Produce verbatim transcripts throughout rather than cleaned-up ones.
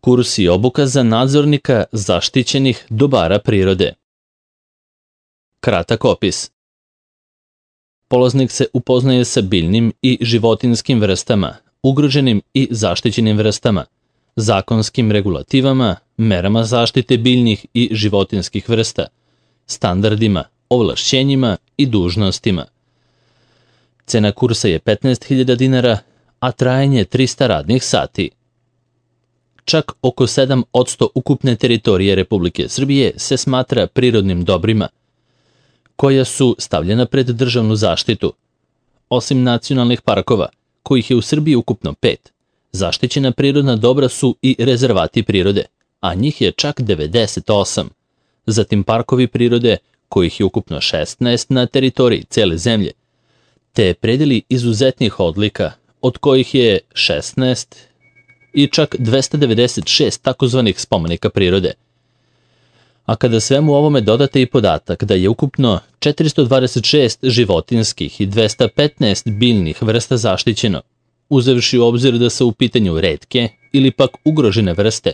Kurs i obuka za nadzornika zaštićenih dobara prirode. Kratak opis. Polaznik se upoznaje sa biljnim i životinjskim vrstama, ugroženim i zaštićenim vrstama, zakonskim regulativama, merama zaštite biljnih i životinjskih vrsta, standardima, ovlašćenjima i dužnostima. Cena kursa je petnaest hiljada dinara, a trajanje trista radnih sati. Čak oko sedam posto ukupne teritorije Republike Srbije se smatra prirodnim dobrima, koja su stavljena pred državnu zaštitu. Osim nacionalnih parkova, kojih je u Srbiji ukupno pet, zaštićena prirodna dobra su i rezervati prirode, a njih je čak devedeset osam. Zatim parkovi prirode, kojih je ukupno šesnaest na teritoriji cele zemlje, te predeli izuzetnih odlika, od kojih je šesnaest i čak dvesta devedeset šest takozvanih spomenika prirode. A kada svemu ovome dodate i podatak da je ukupno četiristo dvadeset šest životinjskih i dvesta petnaest biljnih vrsta zaštićeno, uzevši u obzir da su u pitanju retke ili pak ugrožene vrste,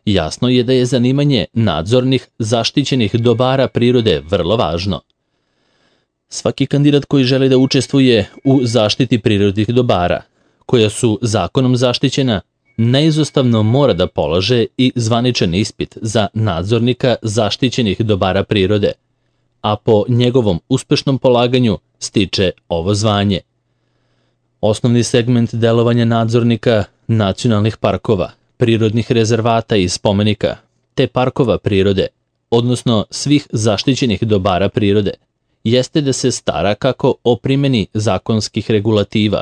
jasno je da je zanimanje nadzornih zaštićenih dobara prirode vrlo važno. Svaki kandidat koji želi da učestvuje u zaštiti prirodnih dobara, koja su zakonom zaštićena, neizostavno mora da polaže i zvaničan ispit za nadzornika zaštićenih dobara prirode, a po njegovom uspešnom polaganju stiče ovo zvanje. Osnovni segment delovanja nadzornika nacionalnih parkova, prirodnih rezervata i spomenika, te parkova prirode, odnosno svih zaštićenih dobara prirode, jeste da se stara kako o primjeni zakonskih regulativa,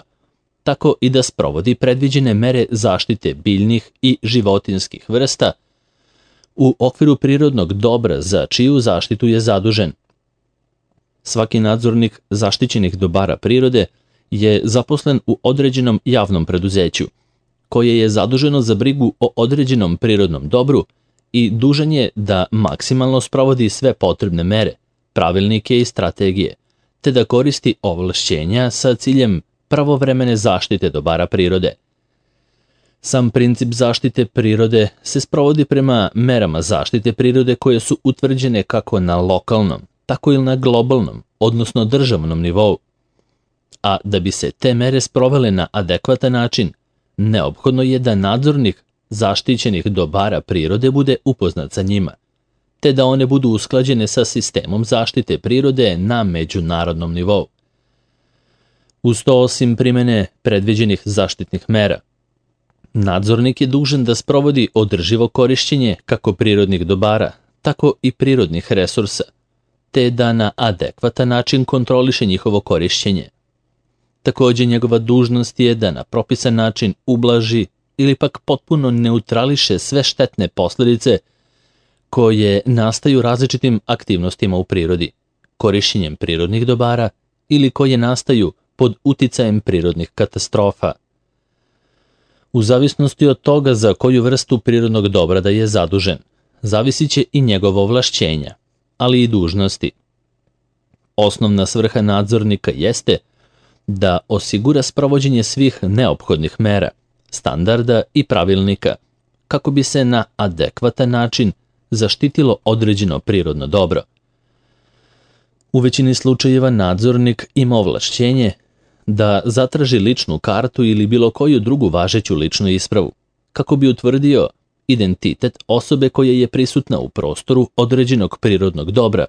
tako i da sprovodi predviđene mere zaštite biljnih i životinjskih vrsta u okviru prirodnog dobra za čiju zaštitu je zadužen. Svaki nadzornik zaštićenih dobara prirode je zaposlen u određenom javnom preduzeću, koje je zaduženo za brigu o određenom prirodnom dobru i dužan je da maksimalno sprovodi sve potrebne mere, pravilnike i strategije, te da koristi ovlašćenja sa ciljem pravovremene zaštite dobara prirode. Sam princip zaštite prirode se sprovodi prema merama zaštite prirode koje su utvrđene kako na lokalnom, tako i na globalnom, odnosno državnom nivou. A da bi se te mere sprovele na adekvatan način, neophodno je da nadzornik zaštićenih dobara prirode bude upoznat sa njima, te da one budu usklađene sa sistemom zaštite prirode na međunarodnom nivou. Uz to, osim primene predviđenih zaštitnih mera, nadzornik je dužan da sprovodi održivo korišćenje kako prirodnih dobara, tako i prirodnih resursa, te da na adekvatan način kontroliše njihovo korišćenje. Također, njegova dužnost je da na propisan način ublaži ili pak potpuno neutrališe sve štetne posljedice koje nastaju različitim aktivnostima u prirodi, korišćenjem prirodnih dobara ili koje nastaju pod uticajem prirodnih katastrofa. U zavisnosti od toga za koju vrstu prirodnog dobra da je zadužen, zavisit će i njegovo ovlašćenja, ali i dužnosti. Osnovna svrha nadzornika jeste da osigura sprovođenje svih neophodnih mera, standarda i pravilnika, kako bi se na adekvatan način zaštitilo određeno prirodno dobro. U većini slučajeva nadzornik ima ovlašćenje da zatraži ličnu kartu ili bilo koju drugu važeću ličnu ispravu, kako bi utvrdio identitet osobe koja je prisutna u prostoru određenog prirodnog dobra,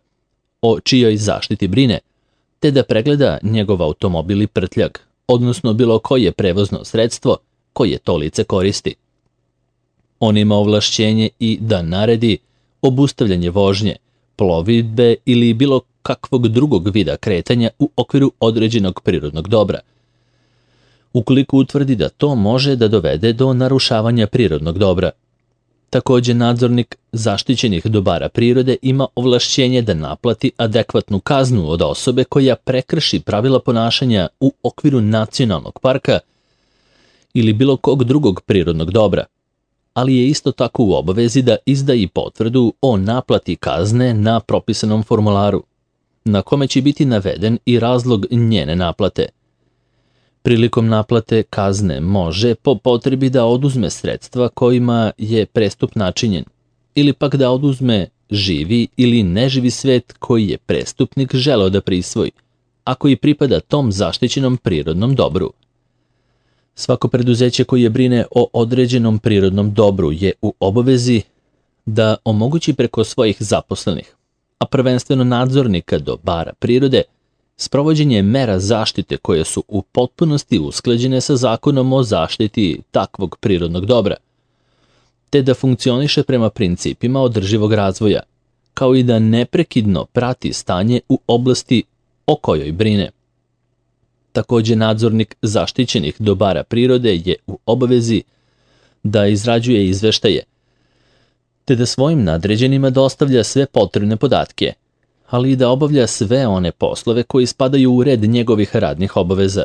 o čijoj zaštiti brine, te da pregleda njegov automobil i prtljag, odnosno bilo koje prevozno sredstvo koje to lice koristi. On ima ovlašćenje i da naredi obustavljanje vožnje, plovidbe ili bilo kakvog drugog vida kretanja u okviru određenog prirodnog dobra, ukoliko utvrdi da to može da dovede do narušavanja prirodnog dobra. Također, nadzornik zaštićenih dobara prirode ima ovlašćenje da naplati adekvatnu kaznu od osobe koja prekrši pravila ponašanja u okviru nacionalnog parka ili bilo kog drugog prirodnog dobra, ali je isto tako u obavezi da izda i potvrdu o naplati kazne na propisanom formularu, na kome će biti naveden i razlog njene naplate. prilikom naplate kazne može po potrebi da oduzme sredstva kojima je prestup načinjen, ili pak da oduzme živi ili neživi svet koji je prestupnik želeo da prisvoji, a koji pripada tom zaštićenom prirodnom dobru. Svako preduzeće koje brine o određenom prirodnom dobru je u obavezi da omogući preko svojih zaposlenih, a prvenstveno nadzornika dobara prirode, sprovođenje mera zaštite koje su u potpunosti usklađene sa zakonom o zaštiti takvog prirodnog dobra, te da funkcioniše prema principima održivog razvoja, kao i da neprekidno prati stanje u oblasti o kojoj brine. Takođe, nadzornik zaštićenih dobara prirode je u obavezi da izrađuje izveštaje, te da svojim nadređenima dostavlja sve potrebne podatke, ali i da obavlja sve one poslove koji spadaju u red njegovih radnih obaveza.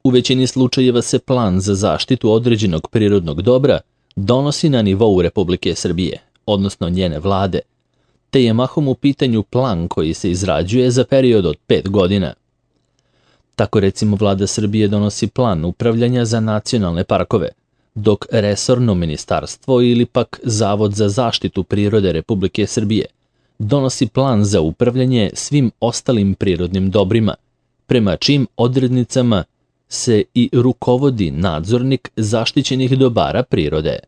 U većini slučajeva se plan za zaštitu određenog prirodnog dobra donosi na nivou Republike Srbije, odnosno njene vlade, te je mahom u pitanju plan koji se izrađuje za period od pet godina. Tako recimo vlada Srbije donosi plan upravljanja za nacionalne parkove, dok resorno ministarstvo ili pak Zavod za zaštitu prirode Republike Srbije donosi plan za upravljanje svim ostalim prirodnim dobrima, prema čim odrednicama se i rukovodi nadzornik zaštićenih dobara prirode.